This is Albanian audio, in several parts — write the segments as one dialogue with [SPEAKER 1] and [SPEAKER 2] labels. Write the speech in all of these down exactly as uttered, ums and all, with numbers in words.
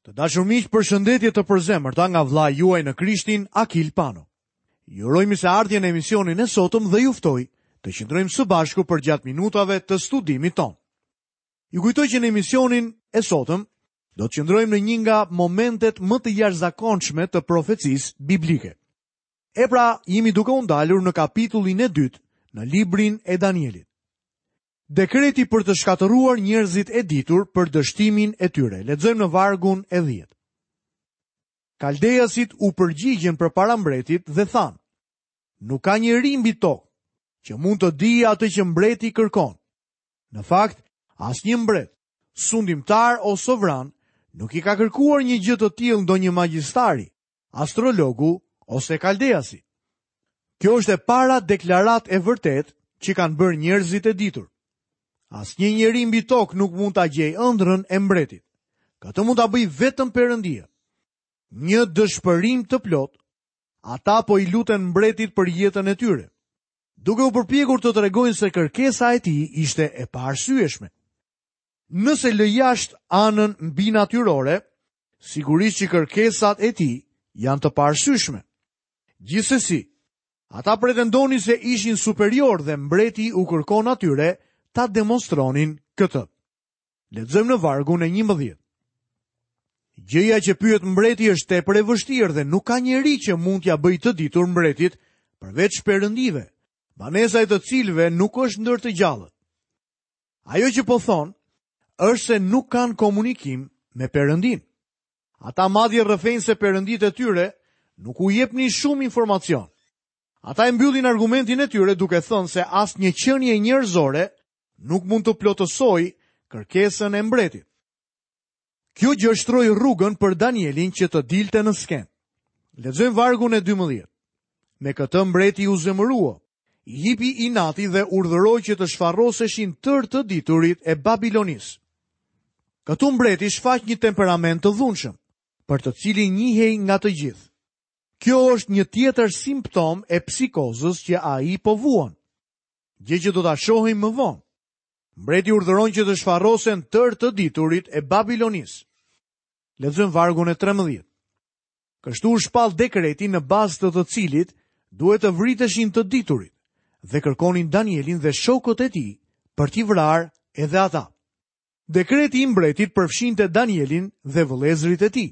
[SPEAKER 1] Të dashur miq, përshëndetje të përzemërta nga vëllai juaj në Krishtin, Akil Pano. Ju uroj mirëseardhje në emisionin e sotëm dhe ju ftoj të qëndrojmë së bashku përgjatë minutave të studimit tonë. Ju kujtoj që në emisionin e sotëm do të qëndrojmë në një nga momentet më të jashtëzakonshme të profecisë biblike. E pra, jemi duke u ndalur në kapitullin e dytë në librin e Danielit. Dekreti për të shkatërruar njerëzit e ditur për dështimin e tyre. Lexojmë në vargun e dhjetë. Kaldeasit u përgjigjën përpara mbretit dhe thanë: Nuk ka njeri mbi tokë që mund të dijë atë që mbreti kërkon. Në fakt, asnjë mbret, sundimtar o sovran nuk i ka kërkuar një gjë të tillë ndonjë magjistari, astrologu ose kaldeasi. Kjo është e para deklaratë e vërtetë që kanë bërë njerëzit e ditur. Asnjë njeri mbi tokë nuk mund ta gjejë ëndrrën e mbretit. Këtë mund ta bëjë vetëm Perëndia. Një dëshpërim të plot, ata po i luten mbretit për jetën e tyre, duke u përpjekur të tregojnë se kërkesa e tij ishte e paarsyeshme. Nëse lë jashtë anën mbinatyrore, sigurisht që kërkesat e tij janë të paarsyeshme. Gjithsesi, ata pretendonin se ishin superior dhe mbreti u kërkon atyre ta demonstronin këtë. Lexojmë në vargun e njëmbëdhjetë. Gjëja që pyet mbreti është tepër e vështirë dhe nuk ka njeri që mund t'ia bëjë të ditur mbretit përveç perëndive, banesa e të cilëve nuk është ndër të gjallët. Ajo që po thon është se nuk kanë komunikim me Perëndin. Ata madje rrëfejnë se perëndit e tyre nuk u jepnin shumë informacion. Ata e mbyllin argumentin e tyre duke thënë se asnjë qenie njerëzore nuk mund të plotësojë kërkesën e mbretit. Kjo gjë shtroi rrugën për Danielin që të dilte në skenë. Lexojmë vargun e dymbëdhjetë. Me këtë mbreti u zemërua, i hipi inati dhe urdhëroi që të shfarroseshin tërë të diturit e Babilonisë. Këtu mbreti shfaq një temperament të dhunshëm, për të cilin njihej nga të gjithë. Kjo është një tjetër simptom e psikozës që ai po vuan, gjë që do ta shohim më vonë. Mbreti urdhëron që të shfarrosen tërë të diturit e Babilonisë. Lexojmë vargun e trembëdhjetë. Kështu u shpall dekreti në bazë të të cilit duhet të vriteshin të diturit dhe kërkonin Danielin dhe shokët e tij për t'i vrarë edhe ata. Dekreti i mbretit përfshinte Danielin dhe vëllezërit e tij.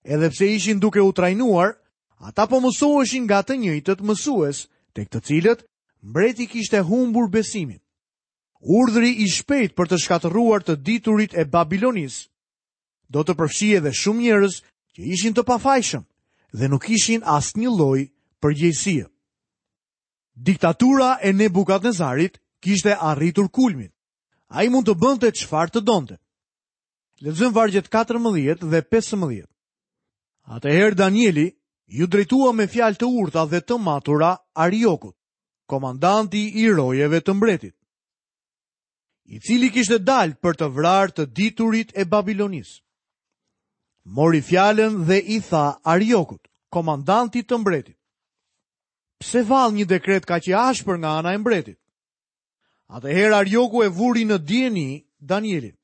[SPEAKER 1] Edhe pse ishin duke u trajnuar, ata po mësoheshin nga të njëjtët mësues, tek të cilët mbreti kishte humbur besimin. Urdhri i shpejt për të shkatërruar të diturit e Babilonisë do të përfshijë edhe shumë njerëz që ishin të pafajshëm dhe nuk ishin asnjë lloj përgjegjësie. Diktatura e Nebukadnezarit kishte arritur kulmin. Ai mund të bënte çfarë të donte. Lexojmë vargjet katërmbëdhjetë dhe pesëmbëdhjetë. Atëherë Danieli ju drejtua me fjalë të urta dhe të matura Ariokut, komandanti i rojeve të mbretit, i cili kishte dalë për të vrarë të diturit e Babilonisë. Mori fjalën dhe i tha Ariokut, komandantit të mbretit: Pse vallë një dekret kaq i ashpër nga ana e mbretit? Atëherë Arioku e vuri në dijeni Danielin.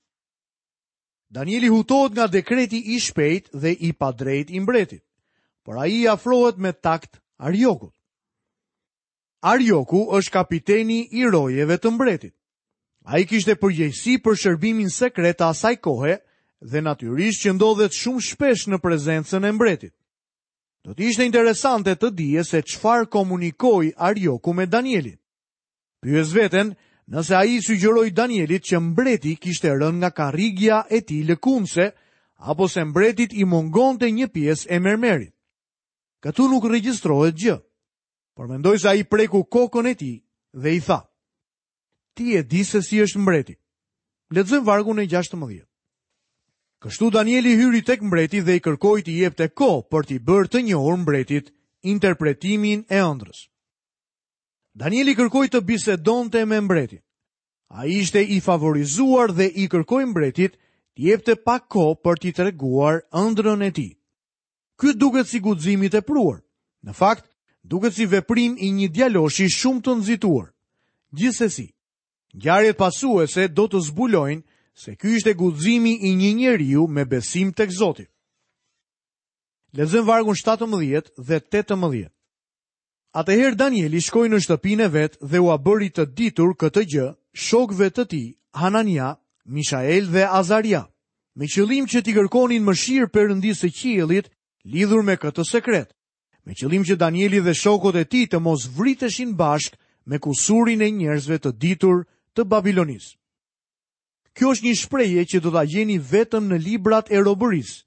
[SPEAKER 1] Danieli hutohet nga dekreti i shpejt dhe i padrejt i mbretit, por ai i afrohet me takt Ariokut. Arioku është kapiteni i rojeve të mbretit. Ai kishte përgjegjësi për shërbimin sekret të asaj kohe dhe natyrisht që ndodhet shumë shpesh në prezencën e mbretit. Do të ishte interesante të dije se çfarë komunikoi Arioku me Danielin. Pyes veten nëse ai i sugjeroi Danielit që mbreti kishte rënë nga karrigia e tij lëkundse apo se mbretit i mungonte një pjesë e mermerit. Këtu nuk regjistrohet gjë, por mendoj se ai preku kokën e tij dhe i tha: Ti e di se si është mbreti. Lexojmë vargun e gjashtëmbëdhjetë. Kështu Danieli hyri tek mbreti dhe i kërkoi t'i jepte kohë për t'i bërë të njohur mbretit interpretimin e ëndrrës. Danieli kërkoi të bisedonte me mbretin. Ai ishte i favorizuar dhe i kërkoi mbretit t'i jepte pak kohë për t'i treguar ëndrrën e tij. Ky duket si guxim i tepruar. Në fakt, duket si veprim i një djaloshi shumë të nxituar. Gjithsesi, ngjarjet pasuese do të zbulojnë se ky ishte guximi i një njeriu me besim tek Zoti. Lexojmë vargun shtatëmbëdhjetë dhe tetëmbëdhjetë. Atëherë Danieli shkoi në shtëpinë e vet dhe ua bëri të ditur këtë gjë shokëve të tij, Hanania, Mishael dhe Azaria, me qëllim që t'i kërkonin mëshirë Perëndisë së qiellit lidhur me këtë sekret, me qëllim që Danieli dhe shokët e tij të mos vriteshin bashkë me kusurin e njerëzve të ditur të Babilonisë. Kjo është një shprehje që do ta gjeni vetëm në librat e robërisë,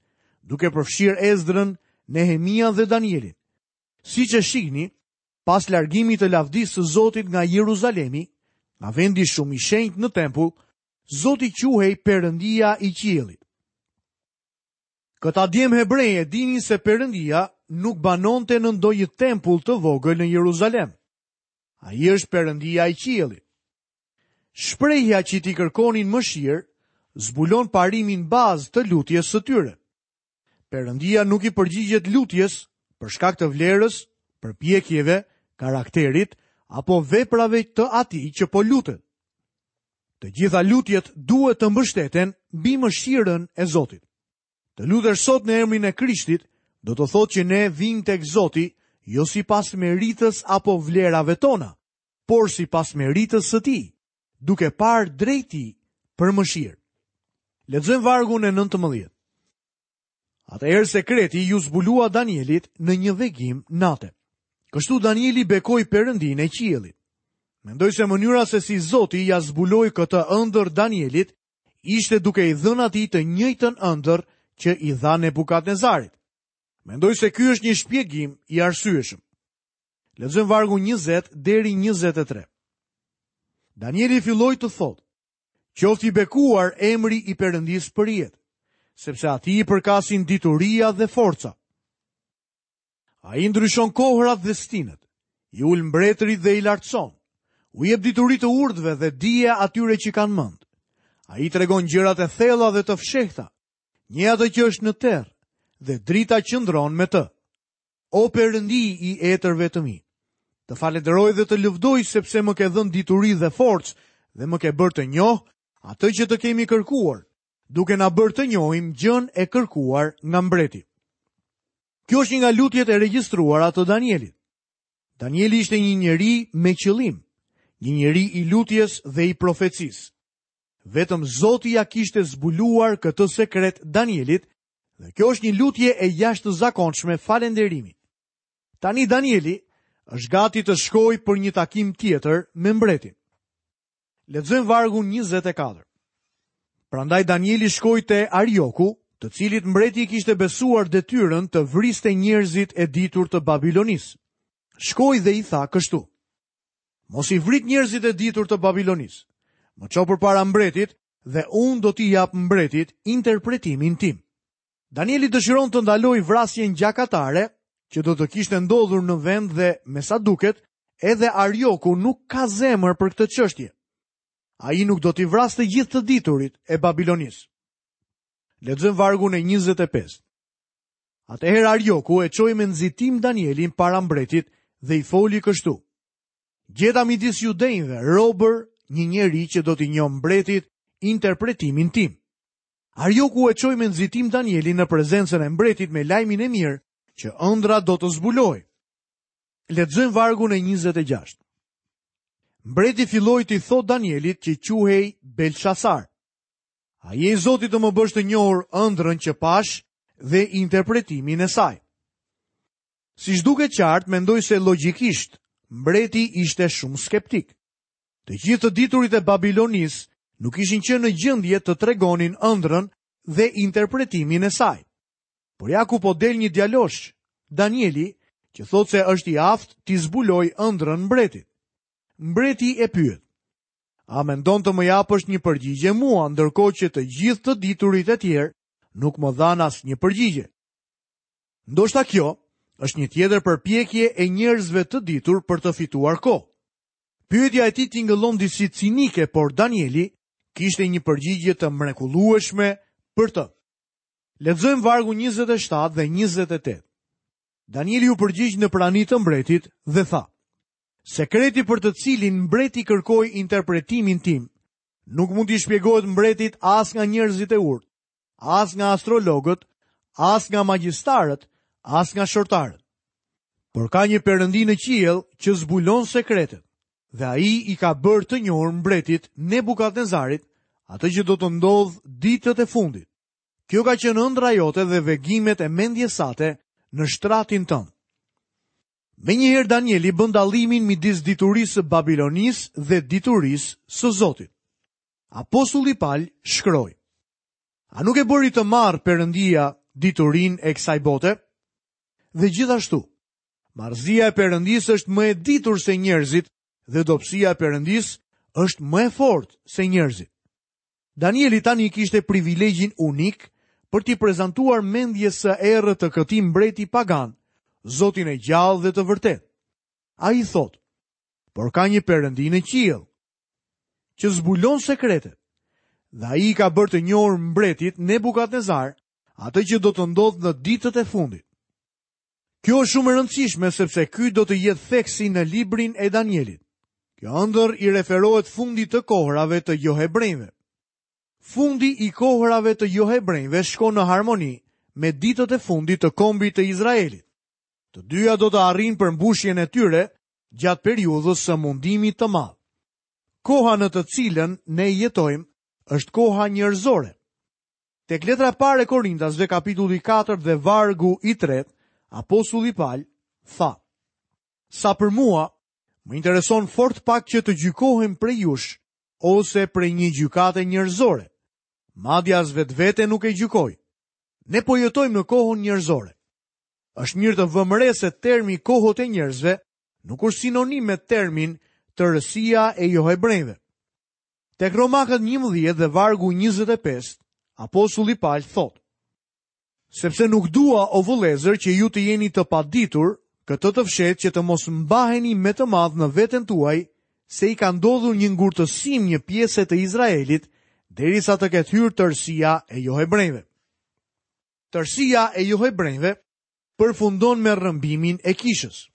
[SPEAKER 1] duke përfshirë Ezdrën, Nehemia dhe Danielin. Siç e shihni, pas largimit të lavdisë së Zotit nga Jeruzalemi, nga vendi shumë i shenjtë në tempull, Zoti quhej Perëndia i qiellit. Këta djem hebrej e dinin se Perëndia nuk banonte në ndonjë tempull të vogël në Jeruzalem. Ai është Perëndia i qiellit. Shprehja që t'i kërkonin mëshirë zbulon parimin bazë të lutjes së tyre. Perëndia nuk i përgjigjet lutjes për shkak të vlerës, përpjekjeve, karakterit apo veprave të atij që po lutet. Të gjitha lutjet duhet të mbështeten mbi mëshirën e Zotit. Të lutesh sot në emrin e Krishtit do të thotë që ne vijmë tek Zoti jo sipas meritës apo vlerave tona, por sipas meritës së tij, duke parë drejt tij për mëshirë. Lexojmë vargun e nëntëmbëdhjetë. Atëherë sekreti ju zbulua Danielit në një vegim nate. Kështu Danieli bekoi Perëndinë e qiellit. Mendoj se mënyra se si Zoti ja zbuloi këtë ëndër Danielit ishte duke i dhënë atij të njëjtën ëndër që i dha Nebukadnezarit. Mendoj se ky është një shpjegim i arsyeshëm. Lexojmë vargun njëzet deri njëzet e tre. Danieli filloi të thotë: Qoftë i bekuar emri i Perëndisë për jetë, sepse atij i përkasin dituria dhe forca. Ai ndryshon kohrat dhe stinët, i ul mbretërit dhe i lartëson, u jep dituri të urtëve dhe dije atyre që kanë mend. Ai tregon gjërat e thella dhe të fshehta, një atë që është në terr, dhe drita qëndron me të. O Perëndi i etërve të mi, të falenderoj dhe të lëvdoj sepse më ke dhënë dituri dhe forcë dhe më ke bërë të njoh atë që të kemi kërkuar, duke na bërë të njohim gjën e kërkuar nga mbreti. Kjo është një nga lutjet e regjistruara të Danielit. Danieli ishte një njeri me qëllim, një njeri i lutjes dhe i profecisë. Vetëm Zoti ja kishte zbuluar këtë sekret Danielit, dhe kjo është një lutje e jashtëzakonshme falënderimi. Tani Danieli është gati të shkojë për një takim tjetër me mbretin. Lexojmë vargun njëzet e katër. Prandaj Danieli shkoi te Arioku, të cilit mbreti i kishte besuar detyrën të vriste njerëzit e ditur të Babilonisë. Shkoi dhe i tha kështu: Mos i vrit njerëzit e ditur të Babilonisë. Më ço përpara mbretit dhe unë do t'i jap mbretit interpretimin tim. Danieli dëshiron të ndalojë vrasjen gjakatare që do të kishte ndodhur në vend dhe, me sa duket, edhe Arioku nuk ka zemër për këtë çështje. Ai nuk do t'i vrasë të gjithë të diturit e Babilonisë. Lexojmë vargun e njëzet e pesë. Atëherë Arioku e çoi me nxitim Danielin para mbretit dhe i foli kështu: Gjeta midis judenjve robër një njeri që do t'i njohë mbretit interpretimin tim. Arioku e çoi me nxitim Danielin në prezencën e mbretit me lajmin e mirë që ëndra do të zbulohej. Lexojmë vargun e njëzet e gjashtë. Mbreti filloi t'i thotë Danielit që quhej Belshazar: A je i Zoti të më bësh të njohur ëndrrën që pash dhe interpretimin e saj? Siç duket qartë, mendoj se logjikisht mbreti ishte shumë skeptik. Të gjithë të diturit e Babilonisë nuk ishin qenë në gjendje të tregonin ëndrrën dhe interpretimin e saj. Por ja ku po del një djalosh, Danieli, që thotë se është i aftë t'i zbuloj ëndrrën mbretit. Mbreti e pyet: A mendon të më japësh një përgjigje mua, ndërkohë që të gjithë të diturit e tjerë nuk më dhanë asnjë përgjigje? Ndoshta kjo është një tjetër përpjekje e njerëzve të ditur për të fituar kohë. Pyetja e tij tingëllon disi cinike, por Danieli kishte një përgjigje të mrekullueshme për të. Lexojmë vargun njëzet e shtatë dhe njëzet e tetë. Danieli u përgjigj në prani të mbretit dhe tha: Sekreti për të cilin mbreti kërkoi interpretimin tim, nuk mund t'i shpjegohet mbretit as nga njerëzit e urtë, as nga astrologët, as nga magjistarët, as nga shortarët. Por ka një perëndi në qiell që zbulon sekretet, dhe ai i ka bërë të njohur mbretit Nebukadnezarit atë që do të ndodhë ditët e fundit. Kjo ka qenë ëndra jote dhe vegimet e mendjes sate në shtratin tënd. Menjëherë Danieli bën dallimin midis diturisë së Babilonisë dhe diturisë së Zotit. Apostulli Pal shkroi: A nuk e bëri të marrë Perëndia diturinë e kësaj bote? Dhe gjithashtu, marrëzia e Perëndisë është më e ditur se njerëzit dhe dobësia e Perëndisë është më e fortë se njerëzit. Danieli tani kishte privilegjin unik për t'i prezantuar mendjes së errët të këtij mbreti pagan, Zotin e gjallë dhe të vërtetë. Ai thotë: Por ka një Perëndi në qiell që zbulon sekretet. Dhe ai i ka bërë të njohur mbretit Nebukadnezar atë që do të ndodhë në ditët e fundit. Kjo është shumë e rëndësishme sepse ky do të jetë theksi në librin e Danielit. Kjo ëndër i referohet fundit të kohërave të johebrenjve. Fundi i kohërave të johebrenjve shkon në harmoni me ditët e fundit të kombit të Izraelit. Të dyja do të arrijnë përmbushjen e tyre gjatë periudhës së mundimit të madh. Koha në të cilën ne jetojmë është koha njerëzore. Tek letra e parë e Korintasve kapitulli katër dhe vargu i tretë, apostulli Pal tha: Sa për mua, më intereson fort pak që të gjykohem prej jush ose prej një gjykate njerëzore. Madje as vetvete nuk e gjykoj. Ne po jetojmë në kohën njerëzore. Është mirë të vëmë re se termi kohët e njerëzve nuk është sinonim me termin tërësia e johebrenjve. Tek Romakët njëmbëdhjetë dhe vargu njëzet e pesë, apostulli Pal thotë: Sepse nuk dua, o vëllezër, që ju të jeni të paditur, këtë të fshetë që të mos mbaheni me të madh në veten tuaj, se i ka ndodhur një ngurtësim një pjese të Izraelit, derisa të ketë hyrë tërësia e johebrenjve. Tërësia e johebrenjve përfundon me rrëmbimin e kishës.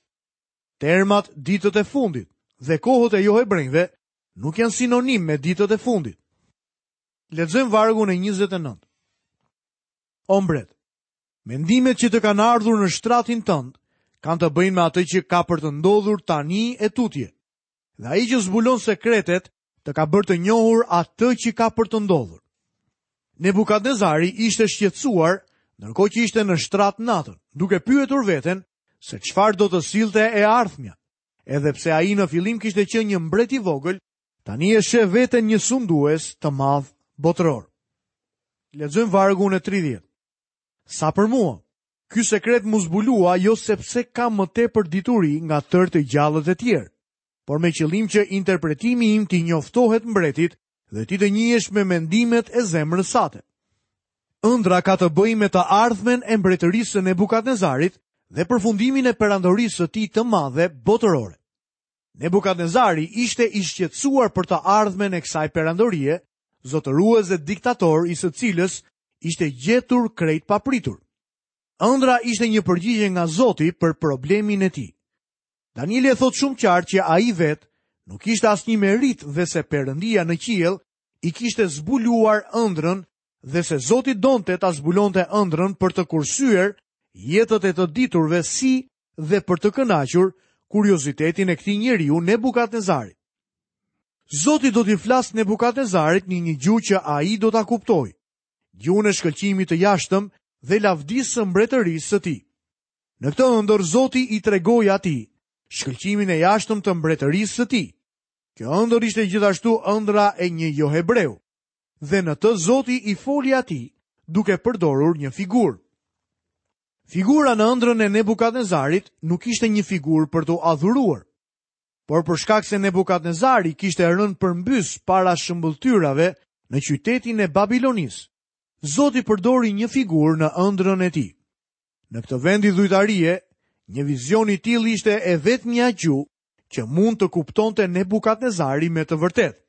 [SPEAKER 1] Termat ditët e fundit dhe kohët e johebrenjve nuk janë sinonim me ditët e fundit. Lexojmë vargun e njëzet e nëntë. O mbret, mendimet që të kanë ardhur në shtratin tënd kanë të bëjnë me atë që ka për të ndodhur tani e tutje. Dhe ai që zbulon sekretet të ka bërë të njohur atë që ka për të ndodhur. Nebukadnezari ishte shqetësuar ndërkohë që ishte në shtrat natën, duke pyetur veten se çfarë do të sillte e ardhmja. Edhe pse ai në fillim kishte qenë një mbret i vogël, tani e sheh veten një sundues të madh botëror. Lexojmë vargun e tridhjetë. Sa për mua, ky sekret mu zbulua jo sepse kam më tepër dituri nga tërë të gjallët e tjerë, por me qëllim që interpretimi im t'i njoftohet mbretit dhe ti të njihesh me mendimet e zemrës sate. Ëndra ka të bëjë me të ardhmen e mbretërisë së Nebukadnezarit dhe përfundimin e perandorisë së tij të madhe botërore. Nebukadnezari ishte i shqetësuar për të ardhmen e kësaj perandorie, zotërues dhe diktator i së cilës ishte gjetur krejt papritur. Ëndra ishte një përgjigje nga Zoti për problemin e tij. Danieli e thotë shumë qartë që ai vetë nuk ishte asnjë merit dhe se Perëndia në qiell i kishte zbuluar ëndrrën dhe se Zoti donte ta zbulonte ëndrrën për të kursyer jetët e të diturve si dhe për të kënaqur kuriozitetin e këtij njeriu Nebukadnezarit. Zoti do t'i flasë Nebukadnezarit në një gjuhë që ai do ta kuptojë, gjuhën e shkëlqimit të jashtëm dhe lavdisë së mbretërisë së tij. Në këtë ëndër Zoti i tregoi atij shkëlqimin e jashtëm të mbretërisë së tij. Kjo ëndër ishte gjithashtu ëndra e një johebreu, dhe në të Zoti i foli atij duke përdorur një figurë. Figura në ëndrrën e Nebukadnezarit nuk ishte një figurë për t'u adhuruar, por për shkak se Nebukadnezari kishte rënë përmbys para shëmbëlltyrave në qytetin e Babilonisë, Zoti përdori një figurë në ëndrrën e tij. Në këtë vend idhujtarie, një vizion i tillë ishte e vetmja gjuhë që mund të kuptonte Nebukadnezari me të vërtetë.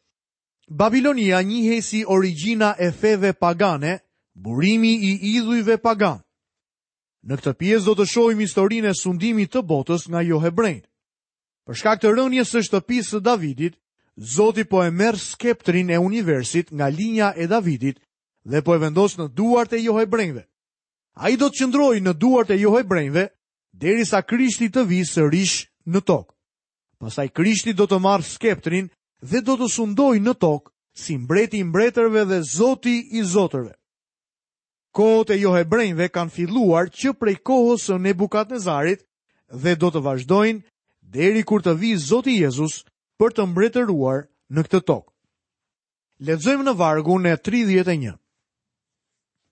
[SPEAKER 1] Babilonia njihej si origjina e feve pagane, burimi i idhujve pagan. Në këtë pjesë do të shohim historinë e sundimit të botës nga johebrenjt. Për shkak të rënies së shtëpisë së Davidit, Zoti po e merr skeptrin e universit nga linja e Davidit dhe po e vendos në duart e johebrenjve. Ai do të qëndrojë në duart e johebrenjve derisa Krishti të vijë sërish në tokë. Pastaj Krishti do të marrë skeptrin dhe do të sundojë në tokë si mbreti i mbretërve dhe zoti i zotërve. Kohët e johebrenjve kanë filluar që prej kohës së Nebukadnezarit dhe do të vazhdojnë deri kur të vijë Zoti Jezus për të mbretëruar në këtë tokë. Lexojmë në vargun e tridhjetë e një.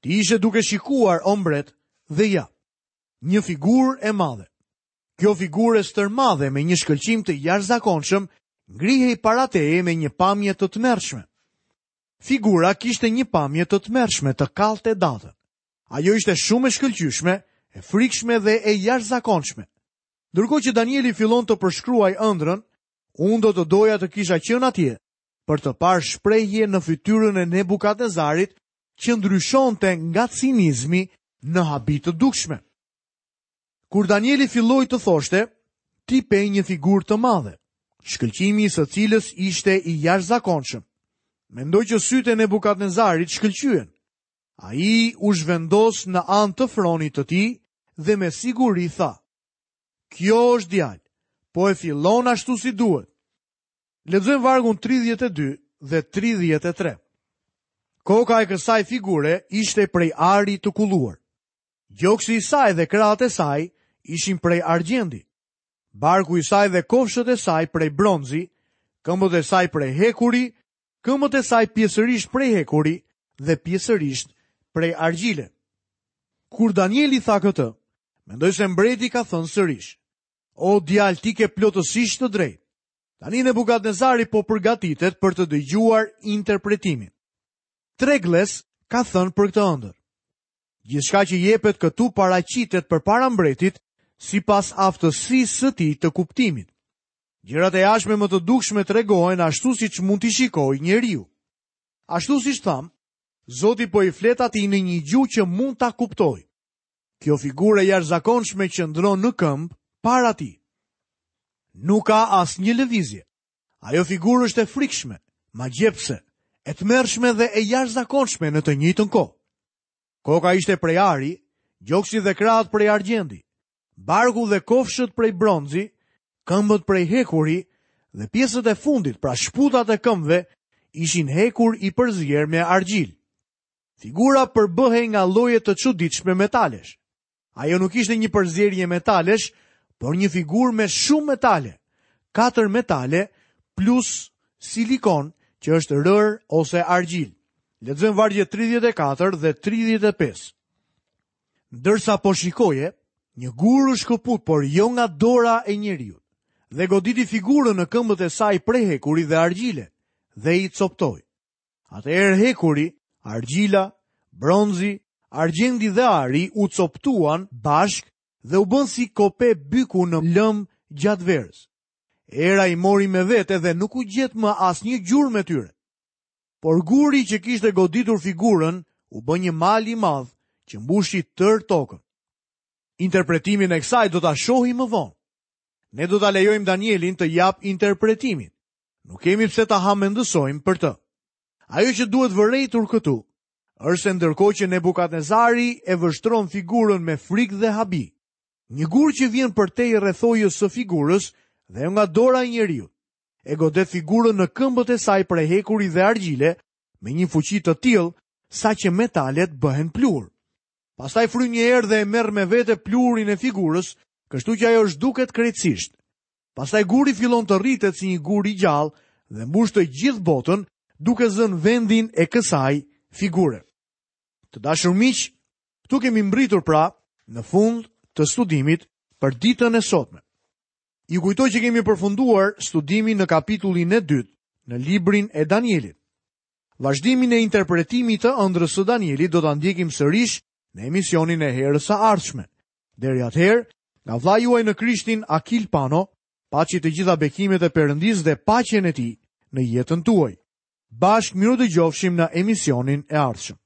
[SPEAKER 1] Ti ishe duke shikuar, o mbret, dhe ja, një figurë e madhe. Kjo figurë e stërmadhe me një shkëlqim të jashtëzakonshëm ngrihej para teje me një pamje të tmerrshme. Figura kishte një pamje të tmerrshme të kallte datën. Ajo ishte shumë e shkëlqyeshme, e frikshme dhe e jashtëzakonshme. Ndërkohë që Danieli fillon të përshkruaj ëndrrën, unë do të doja të kisha qenë atje për të parë shprehje në fytyrën e Nebukadnezarit që ndryshonte nga cinizmi në habi të dukshme. Kur Danieli filloi të thoshte, ti pe një figurë të madhe, shkëlqimi i së cilës ishte i jashtëzakonshëm. Mendoj që sytë e Nebukadnezarit shkëlqyen. Ai u zhvendos në anë të fronit të tij dhe me siguri tha: Kjo është djalë, po e fillon ashtu si duhet. Lexojmë vargun tridhjetë e dy dhe tridhjetë e tre. Koka e kësaj figure ishte prej ari të kulluar. Gjoksi i saj dhe krahët e saj ishin prej argjendi. Barku i saj dhe kofshët e saj prej bronzi, këmbët e saj prej hekuri, këmbët e saj pjesërisht prej hekuri dhe pjesërisht prej argjile. Kur Danieli tha këtë, mendoj se mbreti ka thënë sërish: O djalë, ti ke plotësisht të drejtë. Tani Nebukadnezari po përgatitet për të dëgjuar interpretimin. Tregles ka thënë për këtë ëndër: Gjithçka që jepet këtu paraqitet përpara mbretit sipas aftësisë së tij të kuptimit. Gjërat e jashtme më të dukshme tregohen ashtu siç mund t'i shikojë njeriu. Ashtu siç tham, Zoti po i flet atij në një gjuhë që mund ta kuptojë. Kjo figurë e jashtëzakonshme qëndron në këmbë para tij. Nuk ka asnjë lëvizje. Ajo figurë është e frikshme, magjepse, e tmerrshme dhe e jashtëzakonshme në të njëjtën kohë. Koka ishte prej ari, gjoksi dhe krahët prej argjendi, barku dhe kofshët prej bronzi, këmbët prej hekuri dhe pjesët e fundit, pra shputat e këmbëve, ishin hekur i përzier me argjil. Figura përbëhej nga lloje të çuditshme metalesh. Ajo nuk ishte një përzierje metalesh, por një figurë me shumë metale, katër metale plus silikon që është rër ose argjil. Lexojmë vargjet tridhjetë e katër dhe tridhjetë e pesë. Ndërsa po shikoje, një gur u shkëput, por jo nga dora e njeriut, dhe goditi figurën në këmbët e saj prej hekuri dhe argjile, dhe i coptoi. Atëherë hekuri, argjila, bronzi, argjendi dhe ari u coptuan bashk dhe u bën si kope byku në lëm gjatë verës. Era i mori me vete dhe nuk u gjet më asnjë gjurmë e tyre. Por guri që kishte goditur figurën u bë një mal i madh që mbushi tërë tokën. Interpretimin e kësaj do ta shohim më vonë. Ne do ta lejojmë Danielin të jap interpretimin. Nuk kemi pse ta hamendësojmë për të. Ajo që duhet vërejtur këtu është se ndërkohë që Nebukadnezari e vështron figurën me frikë dhe habi, një gur që vjen përtej rrethojës së figurës dhe nga dora e njeriut, e godet figurën në këmbët e saj prej hekuri dhe argjile me një fuqi të tillë sa që metalet bëhen pluhur. Pastaj fryn një erë dhe e merr me vete pluhurin e figurës, kështu që ajo zhduket krejtësisht. Pastaj guri fillon të rritet si një gur i gjallë dhe mbush të gjithë botën, duke zënë vendin e kësaj figure. Të dashur miq, këtu kemi mbritur pra në fund të studimit për ditën e sotme. Ju kujtoj që kemi përfunduar studimin në kapitullin e dytë në librin e Danielit. Vazhdimin e interpretimit të ëndrrës së Danielit do ta ndjekim sërish në emisionin e herës së ardhshme. Deri atëherë, nga vllai juaj në Krishtin Akil Pano, paçi të gjitha bekimet e Perëndisë dhe paqen e tij në jetën tuaj. Bashkë mirudëgjofshim në emisionin e ardhshëm.